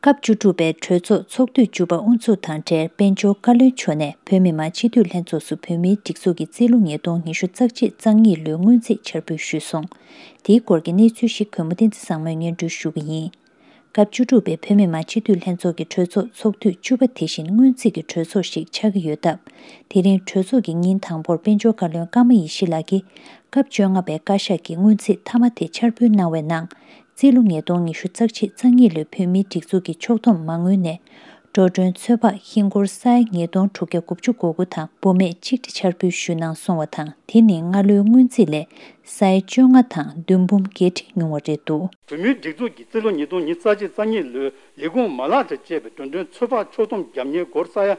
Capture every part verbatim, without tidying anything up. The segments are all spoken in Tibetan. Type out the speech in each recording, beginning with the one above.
སྐབས་བཅུ་དྲུག་པའི་གྲོས་ཚོགས་ཚོགས་དུས་བཅུ་པ་དབུ་འཛུགས་དང་འབྲེལ་དཔལ་འབྱོར་བཀའ་བློན་མཆོག་ནས་བོད་མི་མང་སྤྱི་འཐུས་ལྷན་ཚོགས་སུ་བོད་མིའི་སྒྲིག་འཛུགས་ཀྱི་རྩིས་ལོ་ཉིས་སྟོང་ཉི་ཤུ་རྩ་གཅིག་རྩ་གཉིས་ལོའི་སྔོན་རྩིས་འཆར་འབུལ་ཞུས་སོང་། དེའི་སྐོར་གྱི་གནས་ཚུལ་ཞིག་གུས་མོ་བསྟན་འཛིན་བཟང་མོས་སྙན་སྒྲོན་ཞུ་གི་ཡིན། སྐབས་བཅུ་དྲུག་པའི་བོད་མི་མང་སྤྱི་འཐུས་ལྷན་ཚོགས་ཀྱི་གྲོས་ཚོགས་ཚོགས་དུས་བཅུ་པ་དེ་བཞིན་སྔོན་རྩིས་ཀྱི་གྲོས་ཚོགས་ཤིག་ཆགས་ཀྱི་ཡོད་སྟབས། དེ་རིང་གྲོས་ཚོགས་ཀྱི་ཉིན་དང་པོར་དཔལ་འབྱོར་བཀའ་བློན་ཀརྨ་ཡེ་ཤེས་ལགས་ཀྱིས་སྐབས་བཅོ་ལྔ་པའི་བཀའ་ཤག་གི་སྔོན་རྩིས་མཐའ་མ་དེ་འཆར་འབུལ་གནང་བའི་ནང་། རྩིས་ལོ་ཉིས་སྟོང་ཉི་ཤུ་རྩ་གཅིག་རྩ་གཉིས་ལོའི་བོད་མིའི་སྒྲིག་འཛུགས་ཀྱི་ཕྱོགས་བསྡོམས་མ་དངུལ་ནས། འགྲོ་གྲོན་ཚོད་དཔག་ཧིན་སྒོར་ས་ཡ་ཉིས་སྟོང་དྲུག་བརྒྱ་དགུ་བཅུ་གོ་དགུ་དང་འབུམ་མེད་གཅིག་ཁྲི་འཆར་འབུལ་ཞུས་གནང་སོང་བ་དང་། དེ་ནི་སྔ་ལོའི་སྔོན་རྩིས་ལས་ས་ཡ་བཅོ་ལྔ་དང་བདུན་འབུམ་བརྒྱད་ཁྲི་ཉུང་བ་རེད་འདུག། བོད་མིའི་སྒྲིག་འཛུགས་ཀྱི་རྩིས་ལོ་ཉིས་སྟོང་ཉི་ཤུ་རྩ་གཅིག་རྩ་གཉིས་ལོའི་ལས་ཁུངས་མ་ལག་དང་བཅས་པའི་འགྲོ་གྲོན་ཚོད་དཔག་ཕྱོགས་བསྡོམས་རྒྱབ་གཉེར་སྒོར་ས་ཡ་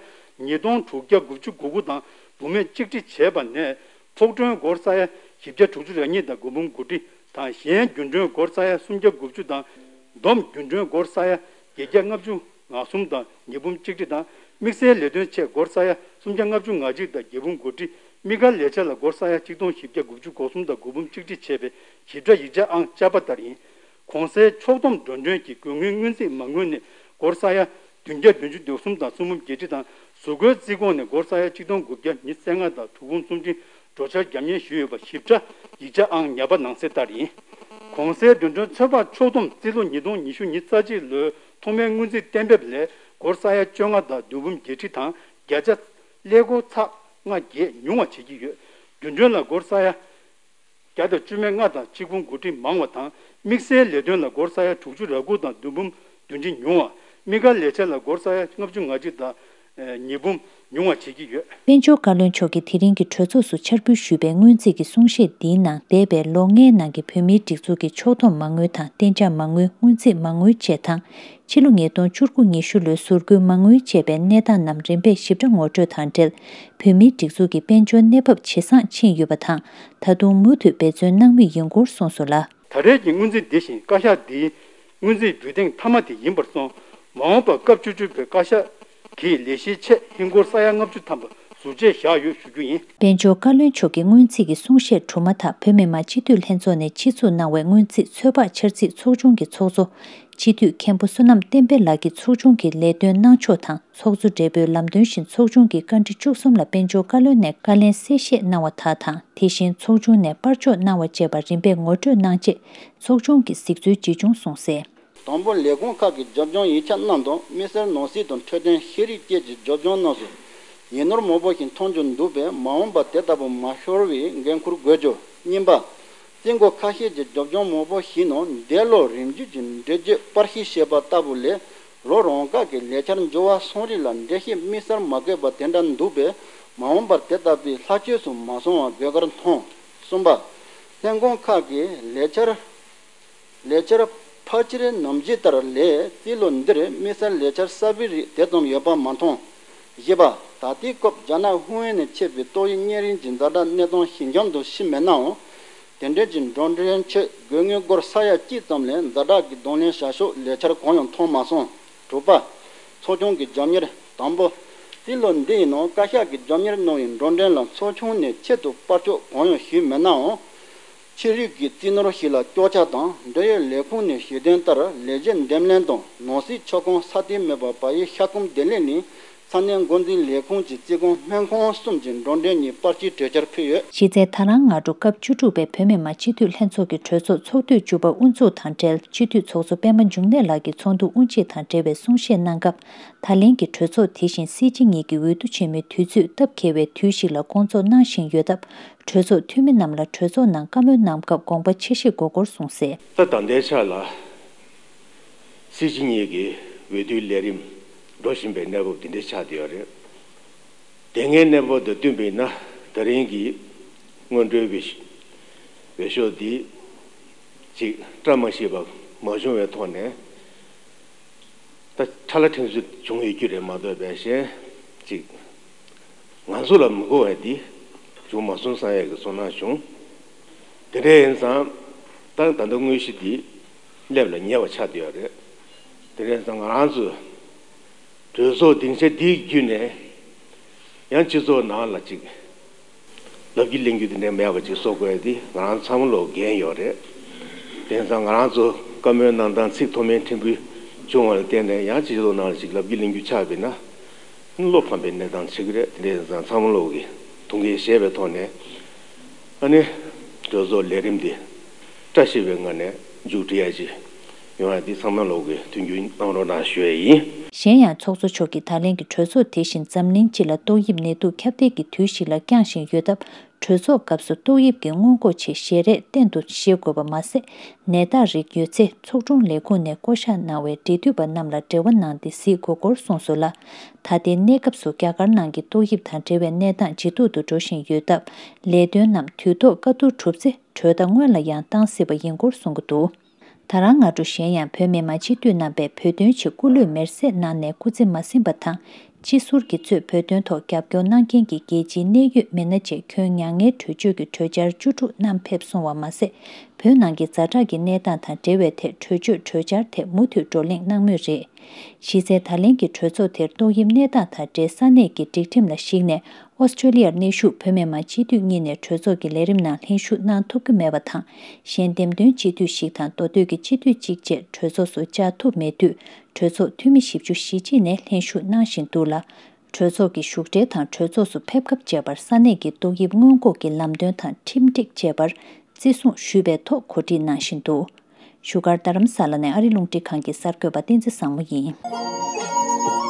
ཉིས་སྟོང་དྲུག་བརྒྱ་དགུ་བཅུ་གོ་དགུ་དང་འབུམ་མེད་གཅིག་ཁྲི་བྱས་པ་ནས། ཕོགས་གྲོན་སྒོར་ས་ཡ་བཞི་བརྒྱ་དྲུག་ཅུ་རེ་གཉིས་དང་དགུ་འབུམ་དགུ་ཁྲི་དང་། གཞན་རྒྱུན་གྲོན་སྒོར་ས་ཡ་སུམ་བརྒྱ་དགུ་བཅུ་དང་། བསྡོམས་རྒྱུན་གྲོན་སྒོར་ས་ཡ་བརྒྱད་བརྒྱ་ལྔ་བཅུ་ང་གསུམ་དང་ཉིས་འབུམ་གཅིག་ཁྲི་དང་། དམིགས་བསལ་ལས་དོན་ཆེད་སྒོར་ས་ཡ་སུམ་བརྒྱ་ལྔ་བཅུ་ང་གཅིག་དང་བརྒྱད་འབུམ་དགུ་ཁྲི། དམིགས་བཀར་ལས་འཆར་ལ་སྒོར་ས་ཡ་ཆིག་སྟོང་བཞི་བརྒྱ་དགུ་བཅུ་གོ་གསུམ་དང་དགུ་འབུམ་གཅིག་ཁྲི་བྱས་པའི་ཞིབ་ཕྲ་ཡིག་ཆ་ཨང་བཅའ་པ་ལྟར་ཡིན། གོང་གསལ་ཕྱོགས་བསྡོམས་འགྲོ་གྲོན་གྱི་དགོས་དངུལ་སྔོན་རྩིས་མ་དངུལ་ནས་སྒོར་ས་ཡ་བདུན་བརྒྱ་བདུན་ཅུ་དོན་གསུམ་དང་གསུམ་འབུམ་བརྒྱད་ཁྲི་དང་། གཟུགས་སྐུའི་རྩིས་ཁོངས་ནས་སྒོར་ས་ཡ་ཆིག་སྟོང་དགུ་བརྒྱ་ཉེར་ལྔ་དང་དྲུག་འབུམ་སུམ་ཁྲི་འགྲོ་འཆར་རྒྱབ་གཉེར་ཞུས་ཡོད་པ་ཞིབ་ཕྲ་ཡིག་ཆ་ཨང་ཉར་པ་ནང་གསལ་ལྟར་ཡིན། གོང་གསལ་འགྲོ་གྲོན་ཚོད་དཔག་ཕྱོགས་བསྡོམས་རྩིས་ལོ་ཉིས་སྟོང་ཉི་ཤུ་ཉི་ཤུ་རྩ་གཅིག་ལོའི་ཐོག་མའི་སྔོན་རྩིས་གཏན་འབེབས་ལས་སྒོར་ས་ཡ་བཅོ་ལྔ་དང་བདུན་འབུམ་བརྒྱད་ཁྲི་དང་བརྒྱ་ཆ་ཀླད་ཀོར་ཚེག་ལྔ་བརྒྱད་ཉུང་བ་བྱེད་ཀྱི་ཡོད། རྒྱུན་གྲོན་ལ་སྒོར་ས་ཡ་བརྒྱ་དང་བཅུ་མེད་ལྔ་དང་ཆིག་འབུམ་དགུ་ཁྲི་མང་བ་དང་། དམིགས་བསལ་ལས་དོན་ལ་སྒོར་ས་ཡ་དྲུག་ཅུ་རེ་དགུ་དང་བདུན་འབུམ་བདུན་ཁྲི་ཉུང་བ། དམིགས་བཀར་ལས་འཆར་ལ་སྒོར་ས་ཡ་ལྔ་བཅུ་ང་གཅིག་དང་ཉིས་འབུམ་ཉུང་བ་བྱེད་ཀྱི་ཡོད། དཔལ་འབྱོར་བཀའ་བློན་མཆོག་གིས་དེ་རིང་གི་གྲོས་ཚོགས་སུ་འཆར་འབུལ་ཞུས་པའི་སྔོན་རྩིས་ཀྱི་གསུང་བཤད་འདིའི་ནང་། འདས་པའི་ལོ་ལྔའི་ནང་གི་བོད་མིའི་སྒྲིག་འཛུགས་ཀྱི་ཕྱོགས་བསྡོམས་མ་དངུལ་དང་གཏན་འཇགས་མ་དངུལ། སྔོན་རྩིས་མ་དངུལ་བཅས་དང་། ཕྱི་ལོ་ཉིས་སྟོང་བཅུ་དགུ་ཉི་ཤུ་ལོའི་ཟུར་བཀོལ་མ་དངུལ་བཅས་པའི་གནས་སྟངས་རྣམས་རིམ་པས་ཞིབ་ཕྲ་ངོ་སྤྲོད་དང་འབྲེལ། བོད་མིའི་སྒྲིག་འཛུགས་ཀྱི་དཔལ་འབྱོར་གནས་བབ་ཇེ་བཟང་ཕྱིན་ཡོད་པ་དང་། ད་དུང་མུ་མཐུད་འབད་བརྩོན་གནང་མུས་ཡིན་སྐོར་གསུངས་སོང་ལ། ད་རེས་ཀྱི་སྔོན་རྩིས་འདི་བཞིན་བཀའ་ཤག་འདིའི་སྔོན་རྩིས་འབུལ་ཐེངས་མཐའ་མ་དེ་ཡིན་པར་སོང་། མ་འོངས་པར་སྐབས་བཅུ་དྲུག་པའི་བཀའ་ཤག་གིས་ལས་གཞིའི་ཆེད་ཧིན་སྒོར་ས་ཡ་ལྔ་བཅུ་ཐམ་པ་ཟུར་བཅད་བཞག་ཡོད་ཞུ་རྒྱུ་ཡིན། དཔལ་འབྱོར་བཀའ་བློན་མཆོག་གི་སྔོན་རྩིས་ཀྱི་གསུང་བཤད་གྲུབ་མ་ཐག་བོད་མི་མང་སྤྱི་འཐུས་ལྷན་ཚོགས་ནས་ཆེད་འཛུགས་གནང་བའི་སྔོན་རྩིས་ཚོད་དཔག་འཆར་རྩིས་ཚོགས་ཆུང་གི་ཚོགས་གཙོ་སྤྱི་འཐུས་མཁན་པོ་བསོད་ནམས་བསྟན་འཕེལ་ལགས་ཀྱིས་ཚོགས་ཆུང་གི་ལས་དོན་གནང་ཕྱོགས་དང་། ཚོགས་གཙོ་སྦྲེལ་པོས་ལམ་སྟོན་བཞིན་ཚོགས་ཆུང་གི་བཀའ་འདྲི་བཅུ་གསུམ་ལ་དཔལ་འབྱོར་བཀའ་བློན་ནས་བཀའ་ལན་གསལ་བཤད་གནང་བ་དག་དང་། དེ་བཞིན་ཚོགས་ཆུང་ནས་པར་ཕྱོགས་གནང་བ་བཅས་པ་རིམ་པས་ངོ་སྤྲོད་གནང་རྗེས། ཚོགས་ཆུང་གིས་གཟིགས་ཚུལ་ཇི་བྱུང་གསུངས་གསལ། དང་པོ། ལས་ཁུངས་ཁག་གིས་རྒྱབ་ལྗོངས་ཡིག་ཆ་རྣམས་དང་། དམིགས་བསལ་ནོར་སྲིད་དང་འཕྲོད་བསྟེན་ཤེས་རིག་བཅས་ཀྱི་རྒྱབ་ལྗོངས་རྣམས་སུ་ཡིག་ནོར་མང་པོ་ཞིག་མཐོང་རྒྱུ་འདུག་པས། མ་འོངས་པར་དེ་ལྟ་བུ་མ་ཤོར་བའི་འགན་འཁུར་དགོས་རྒྱུ། གཉིས་པ། རྩིས་འགོ་ཁ་ཤས་ཀྱི་རྒྱབ་ལྗོངས་མང་པོ་ཞིག་ནང་འདས་ལོར་རིམ་བརྒྱུད་ཀྱི་འགྲེལ་བརྗོད་པར་ཤིང་བཤད་པ་ལྟ་བུ་ལས། ལོ་རང་བཀག་གི་ལས་འཆར་འབྱོར་བ་སོང་རིགས་ལ་འགྲེལ་བཤད་དམིགས་བསལ་མ་དགོས་པ་དེ་འདྲ་འདུག་པས། མ་འོངས་པར་དེ་ལྟ་བུའི་ལྷག་བཅོས་སུ་མ་སོང་བ་དགོས་གལ་མཐོང་། གསུམ་པ། ལྷན་ཁང་ཁག་གིས་ལས་འཆར། ལས་འཆར་ཕལ་ཆེར་ནམ་རྒྱུན་ལྟར་ལས། རྩིས་ལོ་འདིར་དམིགས་བསལ་ལས་འཆར་གསར་པའི་རིགས་དེ་ཙམ་ཡོད་པ་མ་མཐོང་། བཞི་པ། ད་ལྟའི་སྐབས་རྒྱ་ནག་ཧུའུ་ཨན་ནས་མཆེད་པའི་ཏོག་དབྱིབས་གཉན་རིམས་ཀྱི་ཛ་དྲག་གནས་སྟངས་ཞི་འཇམ་དུ་ཕྱིན་མེད་ནའང་། དེ་འབྲེལ་གྱི་འགྲོ་གྲོན་ཆེད་དགོས་དངུལ་སྒོར་ས་ཡ་གཅིག་ཙམ་ལས་ཛ་དྲག་གི་གདོང་ལེན་བྱ་ཕྱོགས་ལས་འཆར་གང་ཡང་མཐོང་མ་སོང་། དྲུག་པ། ཚོགས་ཆུང་གི་རྒྱབ་གཉེར། དང་པོ། རྩིས་ལོ་འདི་ཡི་ནང་བཀའ་ཤག་གིས་རྒྱབ་གཉེར་གནང་བའི་འགྲོ་གྲོན་ལ་ཚོགས་ཆུང་ནས་ཆེད་དུ་པར་ཕྱོགས་གང་ཡང་ཞུས་མེད་ནའང་། ཕྱི་རིགས་ཀྱི་རྩིས་ནོར་ཞིག་ལ་སྐྱོར་ཆ་དང་འབྲེལ་ཡོད་ལས་ཁུངས་ནས་ཞུས་དོན་ལྟར། ལས་བྱེད་འདེམས་ལྷན་དང་ནང་སྲིད་ཆོག་ཁང་སྲ་བརྟན་མེད་པར་བལ་ཡུལ་ཤར་ཁུམ་བདེ་ལེགས་གླིང་ས་གནས་འགོ་འཛིན་ལས་ཁུངས་ཀྱི་རྩིས་ཁང་སྨན་ཁང་གསུམ་གྱི་འགྲོ་གྲོན་གཉིས་པར་སྐྱིལ་གྲོས་འཆར་ཕུལ་ཡོད། གཞི་རྩའི་དང་བླངས་སྔ་དྲོ་སྐབས་བཅུ་དྲུག་པའི་བོད་མི་མང་སྤྱི་འཐུས་ལྷན་ཚོགས་ཀྱི་གྲོས་ཚོགས་ཚོགས་དུས་བཅུ་པ་དབུ་འཛུགས་དང་འབྲེལ། སྤྱི་འཐུས་ཚོགས་གཙོ་པད་མ་འབྱུང་གནས་ལགས་ཀྱིས་ཚོགས་འདུ་དབུ་འབྱེད་དང་འབྲེལ་བའི་གསུང་བཤད་གནང་སྐབས། ད་ལན་གྱི་གྲོས་ཚོགས་དེ་བཞིན་སྲིད་སྤྱི་གཉིས་ཀྱི་འོས་བསྡུ་ཆེན་མོའི་དུས་ཚོད་སྟབས་འཁེལ་བའི་དུས་ཤིག་ལ་སྐོང་ཚོགས་གནང་བཞིན་ཡོད་སྟབས། གྲོས་ཚོགས་འཐུས་མི་རྣམས་ལ་གྲོས་ཚོགས་ནང་བཀའ་མོལ་གནང་སྐབས་དགོངས་པ་ཆེ་བཞེས་དགོས་སྐོར་གསུངས་གསལ། ད་ད་ལྟའི་ཆ་ལ་སྲིད་སྤྱི་གཉིས་ཀྱི་འོས་བསྡུའི་ལས་རིམ་འགྲོ་བཞིན་པའི་གནས་བབ་འདི་འདྲ་ཆགས་བསྡད་ཡོད་རེད། དེ་སྔའི་གནས་བབ་དང་བསྟུན་པ་ཡིན་ན། ད་རིང་གི་སྔོན་འགྲོའི་འོས་འོས་ཤོག་འདི་ཅིག་བཀྲ་མ་ཤིས་པ་མ་བྱུང་བའི་ཐོག་ནས། ད་ཁྲ་ལ་ཁྲེང་ཚུལ་བྱུང་ཡོད་རྒྱུ་རེད་མ་གཏོགས། པའི་གཞན་ཅིག་ང་ཚོ་ལ་མི་དགོས་པ་འདི་བྱུང་མ་སོང་བསམ་ཡས་ཀྱི་ཚོར་སྣང་བྱུང་། དེ་འདྲ་ཡིན་ཙང་ད་ད་ལྟ་དངོས་གཞི་འདི་སླེབས་ལ་ཉེ་བ་ཆགས་བསྡད་ཡོད་རེད། དེ་འདྲ་ཡིན་ཙང་ང་རང་ཚོས་གྲོས་ཚོགས་སྡིངས་ཆ་འདི་བརྒྱུད་ནས་ཡང་སྤྱི་ཚོགས་ནང་ལ་ཅིག་ལབ་རྒྱུ་གླེང་རྒྱུ་དེ་འདྲ་མེད་པ་ཅིག་བཟོ་དགོས་ཡ་དེ་ང་རང་ཚང་མ་ལོག་འགན་ཡོད་རེད། དེང་སང་ང་རང་ཚོ་བཀའ་མོལ་གནང་སྟངས་ཚིག་མཐོ་དམན་ཕྲན་བུ་ བྱུང་བ་ལ་བརྟེན་ནས་ཡང་སྤྱི་ཚོགས་ནང་ལ་ཅིག་ལབ་རྒྱུ་གླེང་རྒྱུ་ཆགས་པས་ན། བློ་ཕམ་པའི་གནས་སྟངས་ཆགས་ཀྱི་རེད། དེ་འདྲ་ཡིན་ཙང་ཚང་མ་ལོག་གི་དུང་གིས་བཞེས་པའི་ཐོག་ནས་ཨ་ནི་གྲོས་ཚོགས་ལས་རིམ་འདི་བཀྲ་ཤིས་པའི་ངང་ནས་མཇུག་སྒྲིལ་ཡ་ཅིག་ཡོང་ཡ་འདི་ཚང་མ་ལོག་གི་མཐུན་འགྱུར་གནང་རོགས་གནང་ཞུ་ཡ་ཡིན། གཞན་ཡང་ཚོགས་གཙོ་མཆོག་གིས་ད་ལན་གྱི་གྲོས་ཚོགས་དེ་བཞིན་འཛམ་གླིང་སྤྱི་ལ་ཏོག་དབྱིབས་ནད་དུག་ཁྱབ་གདལ་གྱི་དུས་ཤིག་ལ་བསྐྱངས་བཞིན་ཡོད་སྟབས། གྲོས་ཚོགས་སྐབས་སུ་ཏོག་དབྱིབས་ཀྱི་སྔོན་འགོག་ཆེད་ཞལ་རས་གཏན་དུ་བཞེས་དགོས་པ་མ་ཟད། ནད་རྟགས་རིགས་ཡོད་ཚེ་ཚོགས་དྲུང་ལས་ཁུངས་ནས་བསྐོ་གཞག་གནང་བའི་འབྲེལ་མཐུད་པ་རྣམས་ལ་འབྲེལ་བ་གནང་སྟེ་གཟིགས་དགོས་སྐོར་གསུངས་སོང་ལ། ད་ལྟའི་གནས་སྐབས་སུ་རྒྱ་གར་ནང་གི་ཏོག་དབྱིབས་དང་འབྲེལ་བའི་གནས་སྟངས་ཇེ་སྡུག་ཏུ་འགྲོ་བཞིན་ཡོད་སྟབས། ལས་དོན་རྣམས་དུས་ཐོག་བཀའ་བསྡུར་གྲུབ་ཚེ། གྲོས་ཟླ་སྔོན་ལ་ཡང་བཏང་སྲིད་པ་ཡིན་སྐོར་གསུང་གི་འདུག་ད་རང་སྔ་དྲོ་གཞན་ཡང་བོད་མི་མང་སྤྱི་འཐུས་རྣམ་པས་བོད་དོན་ཆེད་སྐུ་ལུས་མེར་སྲེག་གནང་ནས་སྐུ་ཚེ་མ་ཟིན་པ་དང་། སྤྱི་ཟུར་གྱིས་གཙོས་བོད་དོན་ཐོག་རྒྱབ་སྐྱོར་གནང་མཁན་གྱི་རྒྱལ་སྤྱིའི་གནད་ཡོད་མི་སྣ་བཅས་ཁྱོན་མྱ་ངན་གྲོས་ཆོད་ཀྱི་གྲོས་འཆར་བཅུ་དྲུག་བསྣམས་ཕེབས་སོང་བ་མ་ཟད། བོད་ནང་གི་ཛ་དྲག་གི་གནས་སྟངས་དང་འབྲེལ་བའི་ཐད་གྲོས་ཆོད་གྲོས་འཆར་ཐད་མུ་མཐུད་བགྲོ་གླེང་གནང་མུས་རེད། གཞི་རྩའི་ད་ལན་གྱི་གྲོས་ཚོགས་དེར་ཏོག་དབྱིབས་གནས་སྟངས་དང་འབྲེལ་ས་གནས་ཀྱི་སྒྲིག་ཁྲིམས་ལ་གཞིགས་ནས། ཨོ་སི་ཀྲེ་ལི་ཡར་གནས་བཞུགས་བོད་མི་མང་སྤྱི་འཐུས་གཉིས་ནས་གྲོས་ཚོགས་ཀྱི་ལས་རིམ་ནང་ལྷན་ཞུགས་གནང་ཐུབ་ཀྱི་མེད་པ་དང་། གཞན་འདེམས་ཐོན་སྤྱི་འཐུས་ཤིག་དང་མདོ་སྟོད་ཀྱི་སྤྱི་འཐུས་གཅིག་བཅས་གྲོས་ཚོགས་སུ་བཅར་ཐུབ་མེད་དུས། གྲོས་ཚོགས་འཐུས་མི་བཞི་བཅུ་ཞེ་གཅིག་ནས་ལྷན་ཞུགས་གནང་བཞིན་འདུག་ལ། གྲོས་ཚོགས་ཀྱི་བཞུགས་གྲལ་དང་གྲོས་ཚོགས་སུ་ཕེབས་སྐབས་བཅས་པར་ས་གནས་ཀྱི་ཏོག་དབྱིབས་སྔོན་འགོག་གི་ལམ་སྟོན་དང་ཁྲིམས་སྒྲིག་བཅས་པར་བརྩི་སྲུང་ཞུས་པའི་ཐོག་གོ་སྒྲིག་གནང་བཞིན་འདུག་བཞུགས་སྒར་རྡ་རམ་ས་ལ་ནས་ཨ་རི་རླུང་འཕྲིན་ཁང་གི་གསར་འགོད་པ་བསྟན་འཛིན་བཟང་མོ་ཡིན།